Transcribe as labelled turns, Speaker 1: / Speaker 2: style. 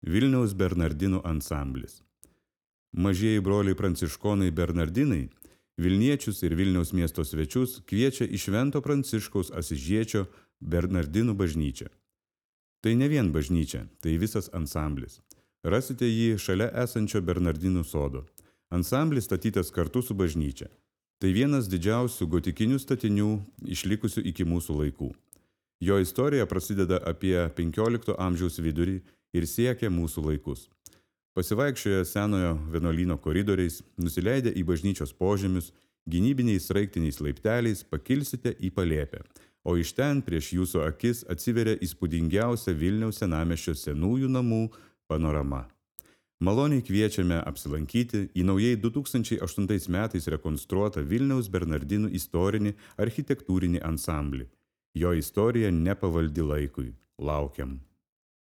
Speaker 1: Vilniaus Bernardinų ansamblis. Mažieji broliai pranciškonai Bernardinai Vilniečius ir Vilniaus miesto svečius kviečia į Švento Pranciškaus Asižiečio Bernardinų bažnyčią. Tai ne vien bažnyčia, tai visas ansamblis. Rasite jį šalia esančio Bernardinų sodo. Ansamblis statytas kartu su bažnyčia. Tai vienas didžiausių gotikinių statinių išlikusių iki mūsų laikų. Jo istorija prasideda apie 15 amžiaus vidurį ir siekia mūsų laikus. Pasivaikščioję senojo vienuolyno koridoriais, nusileidę į bažnyčios požemius, gynybiniais sraigtiniais laipteliais pakilsite į palėpę, o iš ten prieš jūsų akis atsiveria įspūdingiausia Vilniaus senamiesčio senųjų namų panorama. Maloniai kviečiame apsilankyti į naujai 2008 metais rekonstruotą Vilniaus Bernardinų istorinį architektūrinį ansamblį. Jo istorija nepavaldi laikui. Laukiam.